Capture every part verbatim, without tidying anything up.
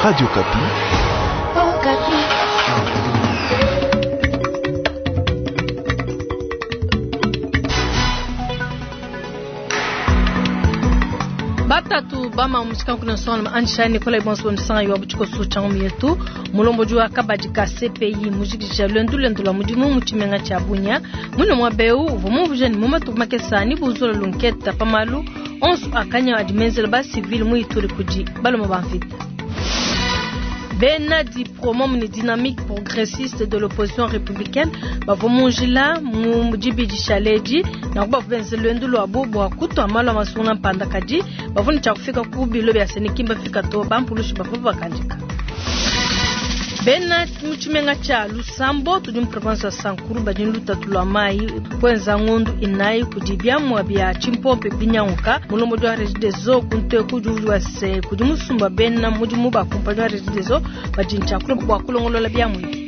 Radio Okapi. Okapi. Batatu bama mushika kuna sona ansha Nicolas Bonso nsanga yo buchiko sucha yetu mulomboji wa kabadi ka C P I mujikisha lwendu lwendu lwa mudimu mu tshimenga tshia Bunia muno mwa beu uvua muvuje ni mumatu makesa ni buzola lunketa pamalu onso akanya adimenzela ba civil mu Ituri kudi baloma ba mvita. Bena di promom ni dynamique progressiste de l'opposition républicaine bavua mu njila mu dibidi shaledi na kuba benze lwendu lwabo bua kutwa malu a masunga mpanda kadi bavua ne tshia kufika ku bilo bia Senikimba fika to bampulushi bavua bakandika. Bena mu tshimenga tshia Lusambo tudi mu province ya Sankuru badi ne lutatu lwa mayi kwenza ngondu inayi kudi biamua bia tshimpompe binyanguka mulombodi wa Regideso kunte kudi wa se kudi musumba bena mudimu ba kumpanyi wa Regideso badi ne tshia bua kulongolola biamua ebi.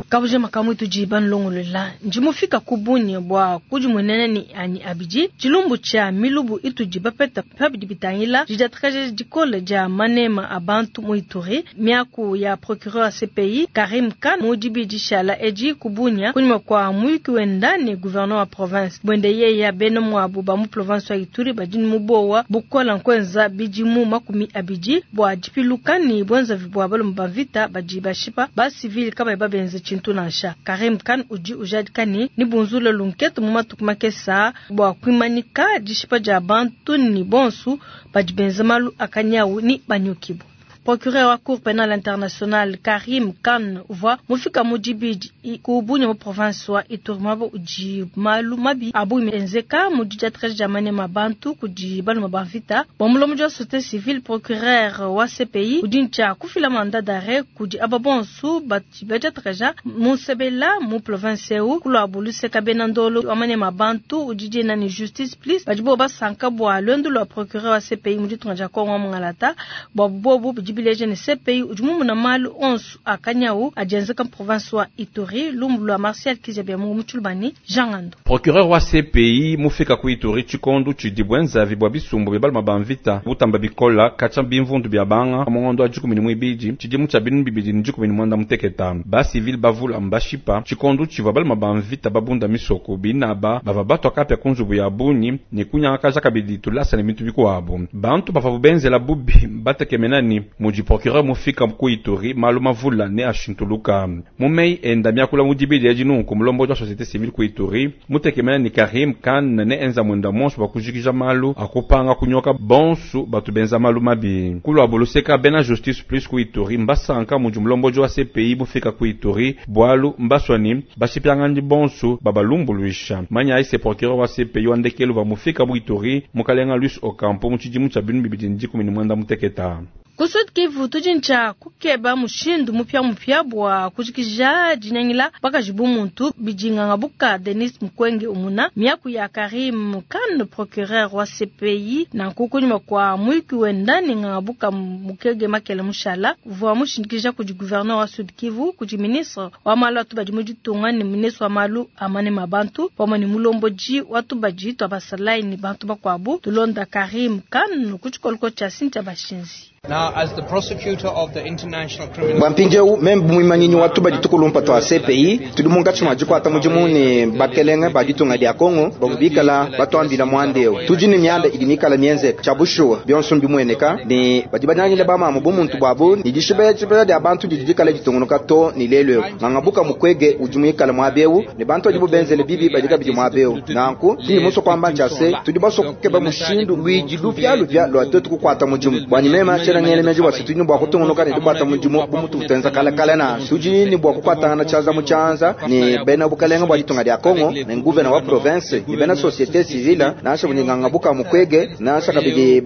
Kabuje makamu tudi banlongolola ndi mufika ku Bunia bua kudimuenena ni anyi abidi tshilumbu tshia milubu itudi bapeta pabidi bitangila didiatakaja dikole dia manema a bantu mu Ituri miaku ya procureur C P I Karim Khan mu dibidi shala edi ku Bunia kunyima kwa muyuki wenda ne gouverneur wa province bwende yeya bena mwabu ba mu province wa Ituri badi mu bowa bukola nkwenza bidimu makumi abidi bua dipiluka ni bwenza bua balomba ba vita badi bashipa ba civil kaba babenze tshintu tunansha Karim Khan udi ujadika ni ni bunzula lunketu mu matuku makesa bua kuimanika dishipa dia bantu ni bonsu badi benza malu akanyawu ni banyukibu. Procureur wa Cour pénale internationale Karim Khan uvua mufika mu dibidi ku Bunia mu province wa Ituri mwabo udi malu mabi abu enzeka mu didiatrage dia manema bantu kudi baluma ba mvita. Bua mulombodi wa société civile procureur wa C P I udi ntshia kufila mandat d'arrêt kudi aba bonsu badi badiatraja mu Nsebela mu province eu kulua luseka bena ndolo wa manema bantu udi dina ni justice plus badi bo basanka bua lwendu lwa procureur wa C P I mu ditunga dia Kongo Mungalata bua bobu bidi bileje ne C P I udi mumuna malu onso akanyawu adienzeka mu province wa Ituri lumbu lwa Martial Kizabia mu Mutshulubani Jean Ngando. Procureur wa C P I mufika ku Ituri tshikondu tshidi bwenza bwa bisumbu bia baluma ba mvita butamba bikola katshia bimvundu bia banga mu ngondo wa dikumi ne muibidi tshidimu tshia binunu bibidi ne dikumi ne muanda muteketa ba civil bavula mbashipa tshikondu tshivua baluma ba mvita babunda misoko binaba bava batwa kapya ku nzubu ya bunyi ne kunyangakaja kabidi tulasa ne bintu bikuabu bantu bava benzela bubi batekemena ni mudi procureur mufika ku Ituri malu mavula ne ashintuluka mumei enda miakula mudibidi ya dinunku mulombo wa société civile ku Ituri mutekemena ni Karim Khan ne enza mwenda monso bakujikija malu akupanga kunyoka bonsu batu benza malu mabi kulwa boluseka bena justice plus ku Ituri mbasanka mudi mulombo wa C P I mufika ku Ituri bwalu mbaswani bashipiangandi bonsu babalumbuluisha manya ise procureur wa C P I wandekelu va mufika mu Ituri mukalenga Luis Ocampo mu tshidimu tshia binunu bibidi ne dikumi ne muanda muteketa. Ku Sud Kivu tudi ntshia kukeba mushindu mupia mupia bua kujikija dinyangila bakaji bu muntu bidinganga buka Denis Mukwege umuna miaku ya Karim Khan procureur wa C P I na nkukunyuma kwa muyuki wenda ne nganga buka Mukege Makele Mushala vua mushindikija kudi gouverneur wa Sud Kivu kudi ministre wa malu a tubadi mu ditunga ne ministre wa malu a manema bantu pamue ne mulomboji wa tubadi twa basalayi ne bantu bakuabu tulonda Karim Khan ku tshikoloko tshia Cynthia Bashinzi. Now, as the prosecutor of the International Criminal Bwa mpindieu membe muimanyinyi wa tubadi tukulumpa twa C P I tudi munkatshi mua dikuata mudimu ne bakelenge ba ditunga dia Kongo bavua bikala batuambila muanda tudi ne mianda idi mikala mienzeka tshia bushuwa bionso mbimueneka ne badi banyangile bamamu bu muntu buabu ne dishibela dia bantu didi dikala ditungunuka to ne lelu eu ngangabuka Mukwege udi muikala muaba ne bantu badi bubenzele bibi badi kabidi muaba eu nanku ndi muso kuamba ntshia se tudi baso kukeba mushindu luidi lupialupia lua twetu kukuata mudimu bwanyi mema ngele meji bwa tudi ne bua kutungunuka ne dikuata mudimu bu mutu butenza kale kale na tudi ne bua kukuatangana tshianza mu tshianza ne bena bukalenga bua ditunga dia Kongo ne gouverneur wa province ne bena société civile nansha buninganga buka Mukwege nansha kabidi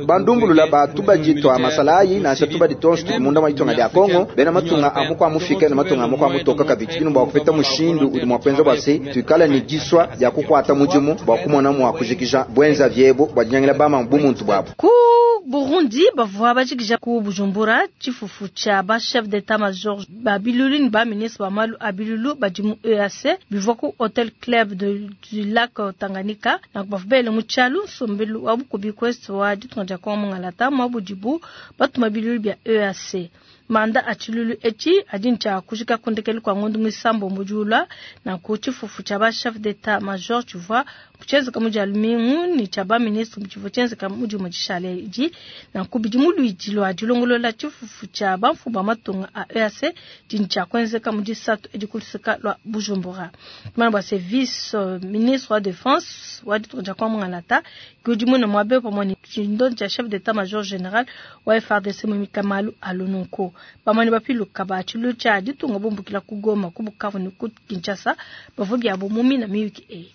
bandumbulula batu badi twa masalayi nansha tubadi tonso tudi munda mwa ditunga dia Kongo bena matunga amukwa mufike ne matunga amukwa mutoka kabidi tudi ne bua kupeta mushindu udi mua kuenza bua se tuikale ne diswa dia kukuata mudimu bua kumona mua kujikija bwenza vyebo bua dinyangila bama bu muntu bwabo. Ku Burundi bavua bajikija ku Bujumbura tshifufu tshia ba chef d'état major ba bilulu ne ba ministre ba malu a bilulu badi mu E A C bivua ku Hotel Club de, du Lac Tanganyika na bavua bele mu tshialu nsombelu wa bukubi kwest wa ditunga dia Kongo Mungalata mwa budibu batuma bilulu bia E A C. Manda a tshilulu etshi adi ntshia kujika kundekelu kwa ngondo muisambo mbujula na ku tshifufu tshia ba chef d'état major tshivua tshenzeka mu dia lumingu ne tshia ba ministre tshivua tshenzeka mu dimue dishale edi na ku bidi mu luidi lua dilongolola tshifufu tshia bamfumu ba matunga a E A C dindi tshia kuenzeka mu disatu edi ku luseka lua Bujumbura. Tumana bua se vice ministre wa défense wa ditunga dia Kongo Mungalata ke udi mune muabe pamue ne tshindondi tshia chef d'état major général wa F R D C Mwimika Malu Alununku. Bamane bapiluka ba tshilu tshia ditunga bumbukila ku Goma, ku Bukavu ne ku Kinshasa bavua biabo mu mina miyuki eyi.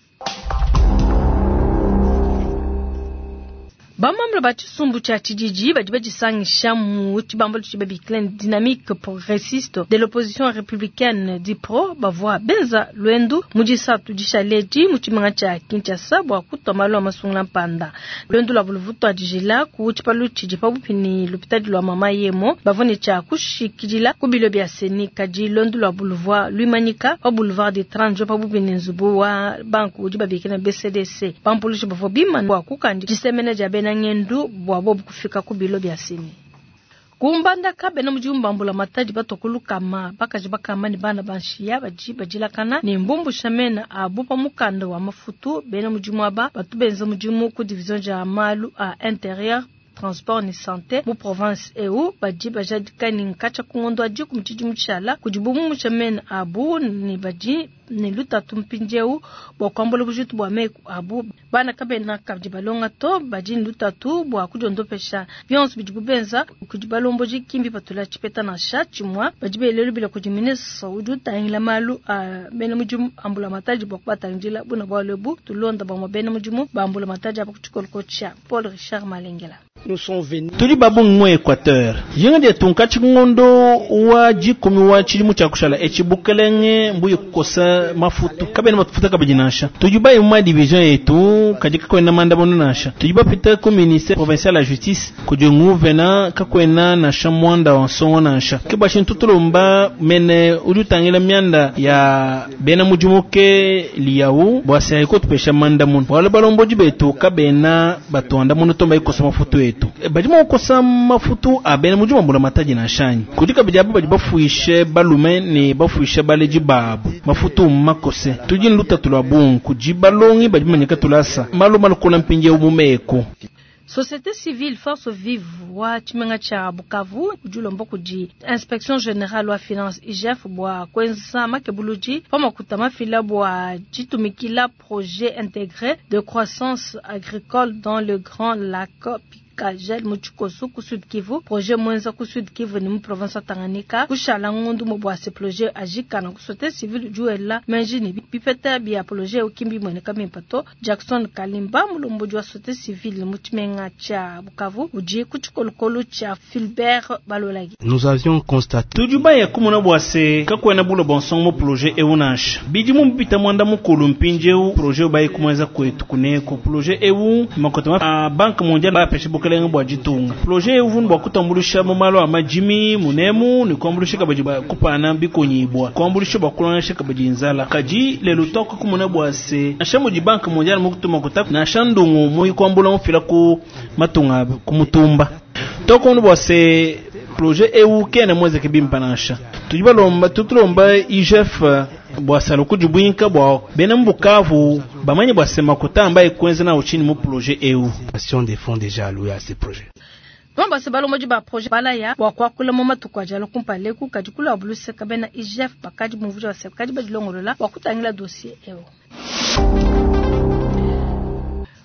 Bamambre ba tshisumbu tshia tshididi badi badisangisha mu tshibambalu tshidi babikila dynamique progressiste de l'opposition républicaine D I P R O bavua benza luendu mu disatu dishaledi mu tshimenga tshia Kinshasa bua kutua malu a masungula mpanda. Luendu lua buluvutu adijila ku tshipalu tshidi pabuipi ne lupitadi lua Mama Yemo bavua ne tshia kushikidila ku bilo bia Seni kadi luendu lua buluvua luimanyika pa boulevard des trente pabuipi ne nzubu wa banku udi babikila B C D C. Bampulushi bavua bimana bua kukandi disemena dia bena ngendu bua bobu kufika ku bilo bia Seni. Kumbandaka bena mudimu ba mbulamatadi batokuluka bakaji bakama ne bana banshiya badi badilakana ne mbumbusha mena abu pa mukanda wa mafutu bena mudimu aba batu benza mudimu ku division dia malu a intérieur transport ni santé mu province eu badi bajadika ni nkacha kungondo adi ku mutshidi mutshala kudi bumusha mena abu ni badi ne lutatu mpindieu bua kuambula bujitu bua meku abu bana kabena kabidi balonga to badi ne lutatu bua kudiondopesha bionso bidi bubenza kudi balomboji kimbi patula tshipeta nansha tshimua badi belelu bila kudi ministre udi utangila malu a bena mudimu ambula matadi bua kubatangila buna bualu ebu tulonda bamue bena mudimu bambula matadi aba ku tshikoloko tshia Paul Richard Malengela. Tuli babungi mu Equateur yenga dia tunka ngondo wa jikumi wa chilimu cha kushala echibukelenge mbuye kukosa mafutu kabena matufuta kabidi nansha tujuba mu division yetu kadika kwenda manda bono nansha tujuba pita ku ministère provincial la justice kujungu vena kakwena nansha mwanda wa nsongo nansha kibashin tutulomba mene ulutangila mianda ya bena mudimuke liyawu bwasa ikotupesha manda muno wala balomboji betu kabena batwanda muno tomba ikosa mafutu yetu badi mukosa mafutu abena mudimu mbula mataji na shanyi kudika bijabu badi bafuishe balume ne bafuishe baleji babu mafutu makose tujini lutatu lwa bungu kujibalongi badi manyika tulasa malu malukola mpinje umumeko. Société civile Force Vive wa tshimenga tshia Bukavu udi ulomba kudi Inspection Générale wa Finance I G F bua kuenza makebuludi pa makuta mafila bua ditumikila projet intégré de croissance agricole dans le Grand Lac Kajel Muchikosu ku Sud Kivu projet mwenza ku Sud Kivu ni mu province ya Tanganyika kushala ngundu mu bua se projet ajikana ku société civile juela menjini bipeta bia projet ukimbi mweneka mimpato Jackson Kalimba mulomboji wa société civile mu tshimenga tshia Bukavu udi ku tshikolokolo tshia Philbert Balolagi. Nous avions constaté tujuba ya kumuna bua se kakwena bulo bonson mu projet eunash bidi mu bita mwanda mukulu mpinjeu projet bayi kumwenza kwetu kuneko projet eu makotama a Banque mondiale ba peshe bukelenge bwa jitunga projet eu bwa kutambulisha mu malo amajimi munemu ni kuambulisha kabaji ba kupana bikonyibwa kuambulisha bwa kulongesha kabaji nzala kaji lelo toko kumuna bwa se nasha mu Banque mondiale mu kutuma kutaka na shandungu mu kuambula mufila ku matunga ku mutumba toko bwa se projet eu kena mweze kibimpa nasha tujibalomba tutulomba I G F bwa salo kujibwinka bwa bena mbukavu bamanye bwa sema kutamba ikwenze na uchini mu projet eu des fonds déjà alloués à ces projets. Bamba se balomboji ba projet balaya bwa kwakula mu matuku ajalo kumpale ku kadi kula buluse kabena I G F bakadi mumvuja wa se kadi badilongolola bwa kutangila dossier eu.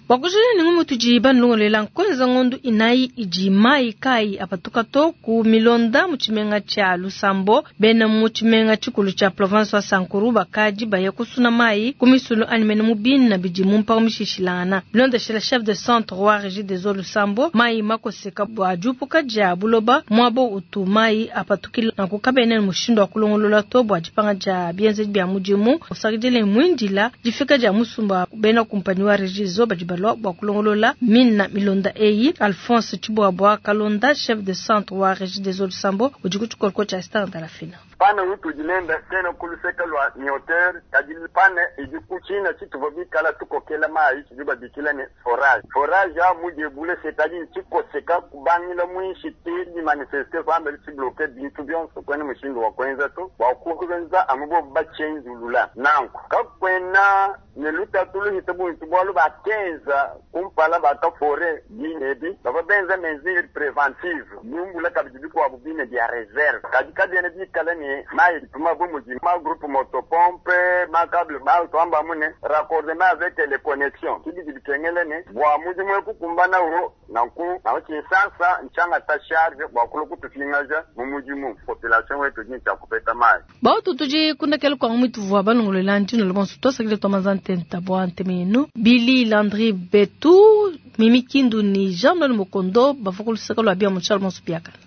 Wakujini ni ngumu tuji banlongolela nkonza ngondu inai iji mai kai apatuka to ku milonda muchimenga cha Lusambo bena muchimenga chikulu cha province wa Sankuru bakaji baye kusuna mai kumisulu animene mubina biji mumpa umishishilana bilonda shela chef de centre wa régie des eaux Lusambo mai makoseka bwa jupuka ja buloba mwabo utu mai apatukila na kukabene mushindo wa kulongolola to bwa jipanga ja bienze bya mujimu usakidile mwindila jifika ja musumba bena kumpani wa régie zo baji balua bua kulongolola mina milonda eyi. Alphonse Tshibuabua Kalonda, chef de centre wa Régie des eaux Lusambo, udi ku tshikoloko tshia Star Ndalafina. Pane utudi nenda kena kuluseka lua mioteur kadi pane idi kuchina tshituvua bikala tukokela mayi tshidi babikila ne forage. Forage a mudebule c'est-à-dire tshikoseka kubangila mwinshi ti manifeste kwamba tshibloke bintu byonso kwene mushindu wa kwenza to bua kuwenza amubo bachenzulula nanku kakwena ne lutatu luhita buntu bwalu bakenza kumpala bakafore bine bava benza mesure préventive bumbula kabidi bikuabu bine bya reserve kadi kabiene bikala ne mayi tuma bu mudi ma groupe motopompe ma câble ma twamba mune raccordement avec les connexions kibidi bikengele ne bua mudimu ekukumbana wo nanku nawo tshinsansa nchanga ta charge bua kulu kutufingaja mu mudimu population wetu ni tshia kupeta mayi. Bautu tudi kundakela kwa mwitu vua balongolola ndino lobonso twasakile twamaza ntenta bua ntemenu Billy Landry Betu Mimi Kindu ni Jean Noël Mokondo bavua kulusaka lua bia mu Charles Monso Biakana.